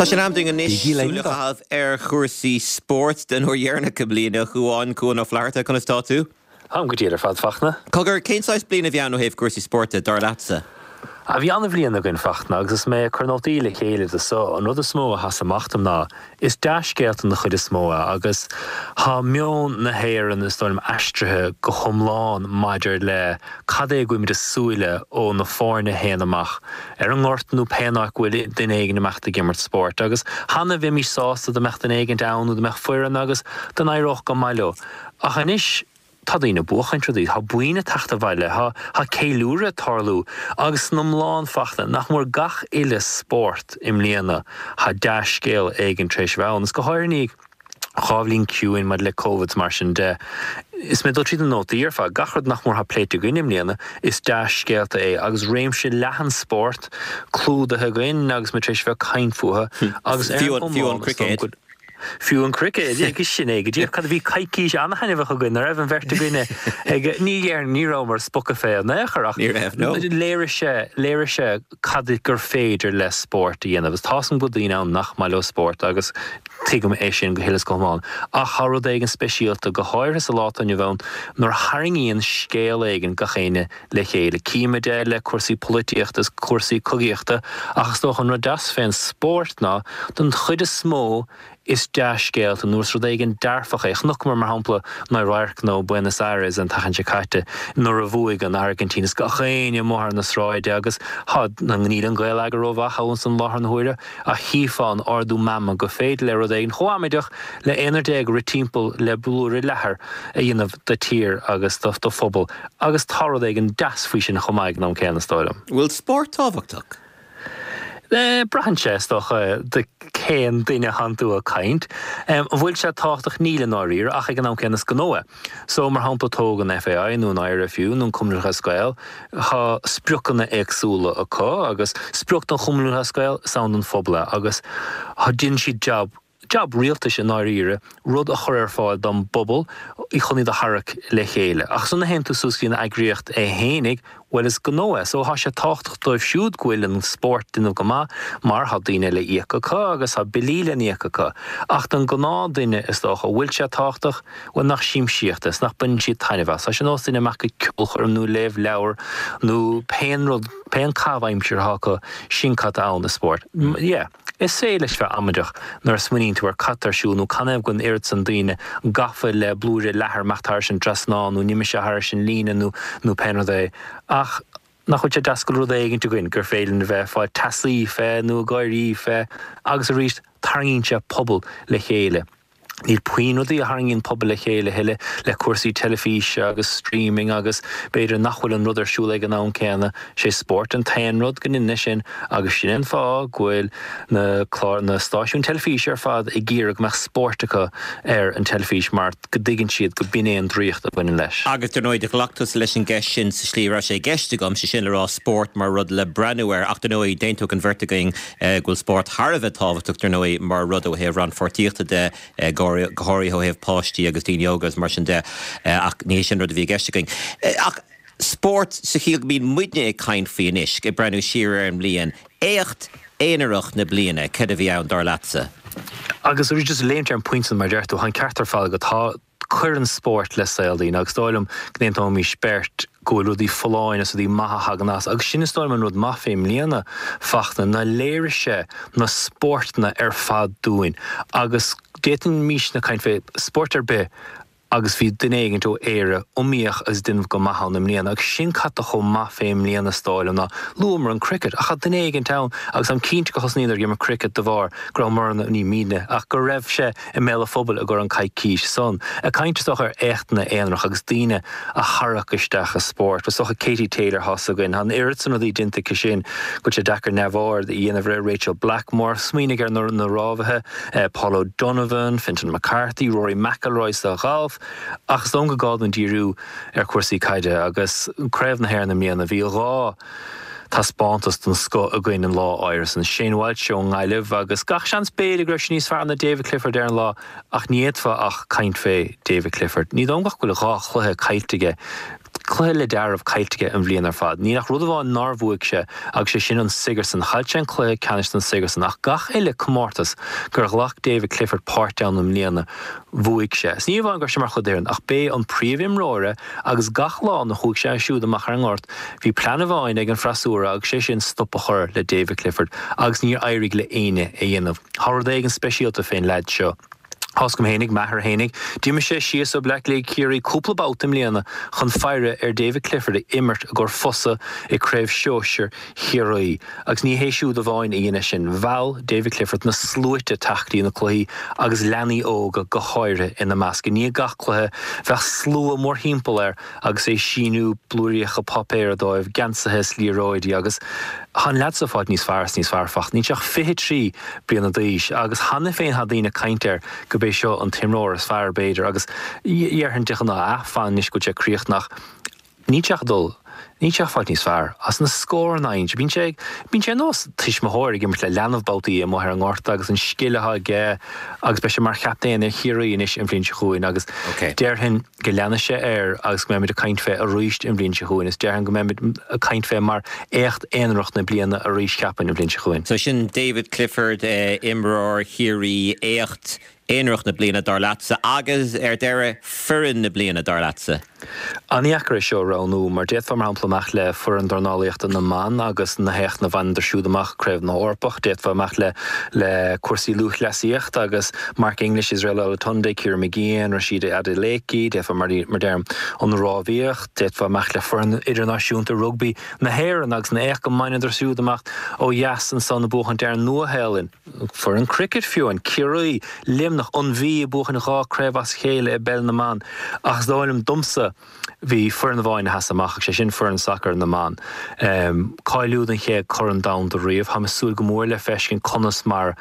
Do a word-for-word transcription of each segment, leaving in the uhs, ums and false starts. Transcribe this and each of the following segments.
Tá sé in am dúinn anois súil a chaitheamh ar chúrsaí spóirt den uair dheireanach i mbliana Cuán Cuan Ó Flatharta conas tá tú? Am go diail ar fad Fachtna. Cogar cén saghas bliain a bhí ann ó thaobh cúrsaí spóirt dar leatsa? A bhí an-bhliain againn Fachtna agus is mé ag cur nótaí le chéile do so an rud is mó a sheas amach dom ná is dea-scéalta na chuid is mó agus tá meon na hÉireann is dóigh liom aistrithe go hiomlán maidir le cad é go bhfuilimid ag súil ó na foirne féin amach ar an ngort nó pé áit go bhfuil duine éigin amach ag imirt spóirt agus cheana bhímis sásta dá mbeadh duine éigin ann nó dá mbeadh foireann agus dá n-éireodh go maith leo. Ach anois tá daoine ag buachaint rudaí, Tá buanna ag teacht abhaile, Tá tá ceiliúradh ag tarlú agus san iomlán Fachtna nach mór gach uile spórt i mbliana tá dea-scéal éigin tar éis bheith ann. Is go háirithe dhá bhliain ciúin maidir le COVID mar sin de. Is mé dul tríd na nótaí ar fad gach rud nach mór atá pléite againn i mbliana is dea-scéalta é agus réimse leathan spórt clúdaithe againn agus muid tar éis bheith ag caint fúthu agus ar Fiú an- fiú an cricket. Fiú an cricket agus sin é go dtí cad a bhí coicís an-thaitneamhach againn nach raibh an bheirt againne ag ní dhéarfainn ní rabhamar spochadh fé in aon chor ach Ní raibh, no. léirigh sé léirigh sé cad gur féidir le spórt a dhéanamh. Is tá an go daoine ann nach maith leo spórt agus tuigim é sin go huile is go hiomlán. Ach tá rud éigin speisialta go háirithe sa lá atá inniu ann nuair a tharraingíonn scéal éigin gach éinne le chéile. Címid é le cúrsaí polaitíochta is cúrsaí cogaíochta ach is dócha an rud deas fén spórt ná don chuid is mó is dea-scéalta nó is rud éigin dearfach é. Chonaiceamar mar shampla na radharcanna ó Buenos Aires an tseachtain seo caite nuair a bhuaigh an Airgintín is gach éinne amuigh ar na sráide agus tá níl an Gaeilge rómhaith ann san láthair na huaire a chífeá an ardú meanma go féidir le rud éigin chomh amaideach le aonar déag rith timpeall le blúire leathair a dhéanamh do tír agus do do phobal agus tá rud éigin deas faoi sin chomh maith ag an am céanna is dóigh liom. Bhfuil spórt tábhachtach? Le braitheann sé is dócha de cén duine atánn tú ag caint. Um, an bhfuil sé tábhachtach níl i ndáiríre ach ag an am céanna is gnó é. So mar shampla tóg an FAI nó an IRFU nó an Cumann Lúthchleas Gael tá spriocanna éagsúla acu agus sprioc don Chumann Lúthchleas Gael is ann don phobal é agus tá déanann siad jab jab rialtais i ndáiríre rud a chur ar fáil don bpobal i chun iad a tharrac le chéile. Ach san a théann tú suas an eagraíocht é fhéinig, well is gnó é, so tá sé tábhachtach dóibh siúd go bhfuil an spórt ag déanamh go maith mar tá daoine le íoc acu agus tá billí le n-íoc acu. Ach don gnáthdhuine is dócha bhfuil sé tábhachtach bhfuil nach siamsaíocht is nach mbaineann siad taitneamh as. Tá sé nós duine amach go ceolchoirm nó léamh leabhar nó pé rud pé caitheamh aimsire atá acu sin cad ann i spórt. Yeah. Is é leis bheith amaideach nuair a smaoiníonn tú ar cad tá ar siúl nó canathaobh go bhfuil an oiread san daoine gafa le blúire leathair amach thar sin trasná nó nimis thar sin líne nó nó pé rud é. Ach nach bhfuil sé deas go rud éigin againn gur féidir a bheith fá teasaí fé nó gáirí fé agus arís tarraingíonn sé pobal le chéile. Níl puinn rudaí a tharraingíonn pobal le chéile thuilleadh le cúrsaí teilifíse agus streaming agus b'fhéidir nach bhfuil an rud ar siúl ag an am céanna sé spórt an t-aon rud go ndéanann sin agus sin an fáth go bhfuil na clár na stáisiún teilifíse ar fad ag iarraidh go mbeadh spórt acu ar an teilifís mar go dtuigeann siad go b'in é an draíocht a bhaineann leis. Agus dar ndóigh ghlac tusa leis an gceist sin sa slí raibh sé i gceist agam sé sin le rá spórt mar rud le breathnú air ach dar ndóigh d'aontódh an bheirt againn eh, go bhfuil spórt thar a bheith tábhachtach dar ndóigh mar rud ó thaobh rannpháirtíochta de eh, go go háirithe ó thaobh páistí agus daoine óga agus mar sin de eh, ach ní sin rud a bhí i gceist againn. Eh, Ach spórt sa chiall go mbíonn muidne ag caint faoi anois ag breathnú siar ar an mbliain, éacht aonarach na bliana cad a bhí ann dar leatsa. Agus arís just léimt ar an bpointe mar deir tú an ceart ar fad go tá cuireann spórt le saol daoine agus dóigh liom go n-aontóimis beirt go bhfuil rudaí folláin is rudaí maithe a thagann as agus sin is dóigh liom an rud maith fé i mbliana Fachtna ná léirigh sé na spórtanna ar fad dúinn agus d'fhéadfaimis na caint fé spórt ar bith agus bhí duine éigin ó Éire iomaíoch agus déanamh go maith ann i mbliana agus sin cad tá chomh maith fé i mbliana is dóigh liom ná luamar an cricket ach duine éigin ann agus an cinnte go thosnaíodar ag imirt cricket de bharr go raibh mar ní míne ach go raibh sé i mbéal an phobail i gcomhair an coicís san. A caint is dócha ar éachtanna aonarach agus daoine a tharrac isteach i spórt. Was dócha Katie Taylor thas againn, an oiread san rudaí déanta aici sin go sé deacair neamhaird a dhéanamh ar Rachel Blackmore, smaoinigh ar na na rámhaithe, eh, Paul O'Donovan, Fintan McCarthy, Rory McIlroy sa ghalf, ach is dóigh go gá dúinn díriú ar chúrsaí caide agus Craobh na hÉireann i mbliana bhí dhá taispeántas den scoth againn an lá áirithe san Shane Walsh ón nGaillimh agus gach seans b'fhéidir go raibh sé níos fearr ná David Clifford ar an lá ach ní fhéadfá ach caint fé David Clifford. Ní dóigh go bhfuil dhá chluiche caillte aige cluiche le deáramh caillte aige an bhliain ar fad. Níl ach rud amháin nár bhuaigh sé agus sé sin an Sigerson. Chaill sé an cluiche ceannais den Sigerson ach gach uile comórtas gur ghlac David Clifford páirt ann i mbliana bhuaigh sé. Is ní amháin go raibh sé mar chuid d'fhoireann ach b'é an príomhimreoir é agus gach lá a chuaigh sé siúd amach ar an ngort bhí plean amháin ag an freasúra agus sé sin stop a chur le David Clifford agus níor éirigh le éinne é a dhéanamh. Tá rud éigin speisialta fén leaid seo. Tá's agam fhéinig, m'athair fhéinig, d'imigh sé síos ó Bleá Cliath go Ciarraí cúpla babhta i mbliana chun faire ar David Clifford ag imirt i gcomhair Fosa i Craobh Shóisir Chiarraí. Agus ní hé siúd amháin a dhein é sin, mheall David Clifford na sluaite teacht go dtí na cluichí agus leanaí óga go háirithe ina measc. I ndiaidh gach cluiche bheadh slua mórthimpeall air agus é ag síniú blúiríocha páipéir dóibh, geansaithe is liathróidí agus tá an leaid seo ag fáilt níos fearr is níos fearr fach. Níl sé ach fiche trí bliana d'aois agus cheana féin tá daoine ag caint air go b'é seo an t-imreoir is fearr b'fhéidir agus dhéarfainn de ghnáth ah fan anois go bhfuil sé críochnaithe ach níl sé ach ag dul níl sé ach ag fáilt níos fearr as na scóranna a fhaigheann sé. Bíonn sé bíonn sé ar nós tuismitheoir ag imirt le leanbh babhtaí amuigh ar an ngort agus an scil atá aige agus beidh sé mar chaptaen ar Chiarraí anois an bhliain seo chugainn agus déarfainn go leanfaidh sé air agus go mbeimid ag caint fé arís an bhliain seo chugainn is déarfainn go mbeimid ag caint fé mar éacht aonarach na bliana arís cheapfainn an bhliain seo chugainn. So sin David Clifford, imreoir Chiarraí, éacht aonarach na bliana dar leatsa agus ar deireadh foireann na bliana dar leatsa. An-dheacair é seo a roghnú mar d'fhéadfá mar shampla imeacht le foireann dornálaíochta na mban agus na héachtanna a bhaineadar siúd amach Craobh na hEorpach, d'fhéadfá imeacht le le cúrsaí lúthchleasaíochta agus Mark English, Israel Olatunde, Ciara Mageean, Rhasidat Adeleke, d'fhéadfá mar mar deirim an rámhaíocht, d'fhéadfá imeacht le foireann idirnáisiúnta rugbaí na hÉireann agus na éacht go mbaineadar siúd amach ó dheas ansan ag buachaint ar an Nua-Shéalainn. Foireann cricket fiú, an Ciarraí, Luimneach, an Mhí ag buachan dhá craobh as a chéile i bpeil na mban. Ach is dóigh liom domsa bhí foireann amháin a sheas amach agus sé sin foireann sacair na mban. Cáiliú don chéad Chorn Domhanda riamh. Táim ag súil go mór le feiscint conas mar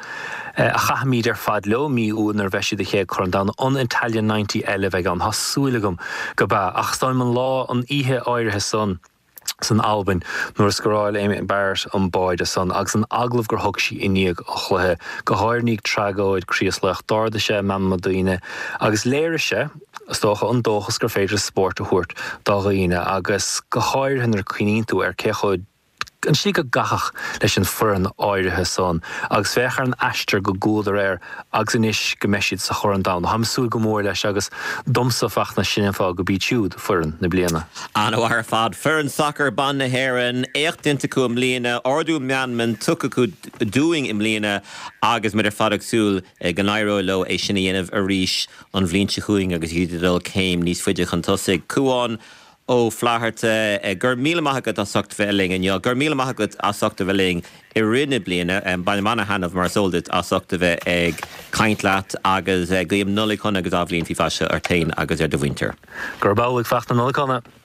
a chaithfimid ar fad leo mí Iúil nuair a bheidh siad sa chéad Chorn Domhanda. An Italian ninety eile a bheidh ann? Tá súil agam go b'ea. Ach is dóigh liom an lá, an oíche áirithe san, san Albain nuair a scóráil Amy Barrett an báide san agus an agallamh gur thug sí i ndiaidh an chluiche, go háirithe i ndiaidh tragóid Chraoslaoich, d'ardaigh sé meanma daoine agus léirigh sé, is dócha, an dóchas gur féidir spórt a thabhairt do dhaoine agus go háirithe nuair a cuimhníonn tú ar cé chomh an tslí go gcaitheadh leis an foireann áirithe san agus féach ar an aistear go gcuadar air agus anois go mbeidh siad sa Chorn Domhanda. Táim ag súil go mór leis agus domsa Fachtna sin an fáth go b'iad siúd foireann na bliana. An-mhaith ar fad. Foireann sacair ban na hÉireann, éacht déanta acu i mbliana, ardú meanman tugtha acu dúinn i mbliana agus muid ar fad ag súil go n-éireoidh leo é sin a dhéanamh arís an bhliain seo chugainn agus iad ag dul céim níos faide chun tosaigh. Cúán Ó Flatharta, go raibh míle maith agat as ucht bheith linn inniu. Go raibh míle maith agat as ucht a bheith linn i rith na bliana. Bainim ana-thaitneamh mar is eol duit as ucht a bheith ag caint leat agus guím Nollaig shona agus athbhliain faoi mhaise ort féin agus ar do mhuintir. Gurb amhlaidh, Fachtna, Nollaig shona.